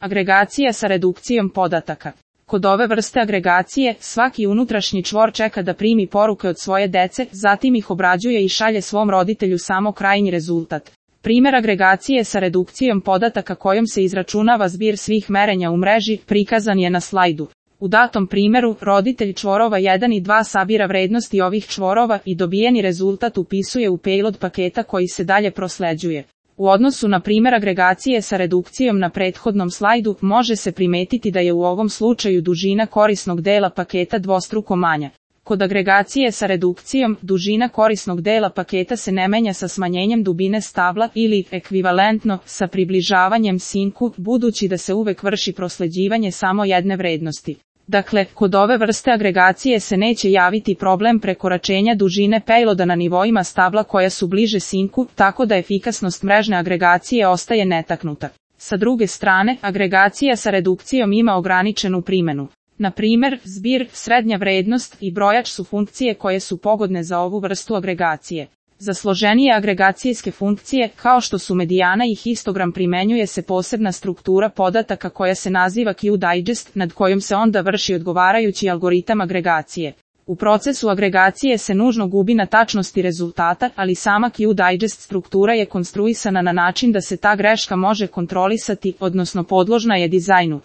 Agregacija sa redukcijom podataka. Kod ove vrste agregacije, svaki unutrašnji čvor čeka da primi poruke od svoje dece, zatim ih obrađuje i šalje svom roditelju samo krajnji rezultat. Primjer agregacije sa redukcijom podataka kojom se izračunava zbir svih merenja u mreži, prikazan je na slajdu. U datom primjeru, roditelj čvorova 1 i 2 sabira vrednosti ovih čvorova i dobijeni rezultat upisuje u payload paketa koji se dalje prosleđuje. U odnosu na primjer agregacije sa redukcijom na prethodnom slajdu, može se primetiti da je u ovom slučaju dužina korisnog dela paketa dvostruko manja. Kod agregacije sa redukcijom, dužina korisnog dela paketa se ne menja sa smanjenjem dubine stabla ili, ekvivalentno, sa približavanjem sinku, budući da se uvek vrši prosleđivanje samo jedne vrednosti. Dakle, kod ove vrste agregacije se neće javiti problem prekoračenja dužine payloada na nivoima stabla koja su bliže sinku, tako da efikasnost mrežne agregacije ostaje netaknuta. Sa druge strane, agregacija sa redukcijom ima ograničenu primjenu. Na primjer, zbir, srednja vrednost i brojač su funkcije koje su pogodne za ovu vrstu agregacije. Za složenije agregacijske funkcije, kao što su medijana i histogram, primenjuje se posebna struktura podataka koja se naziva Q-digest, nad kojom se onda vrši odgovarajući algoritam agregacije. U procesu agregacije se nužno gubi na tačnosti rezultata, ali sama Q-digest struktura je konstruisana na način da se ta greška može kontrolisati, odnosno podložna je dizajnu.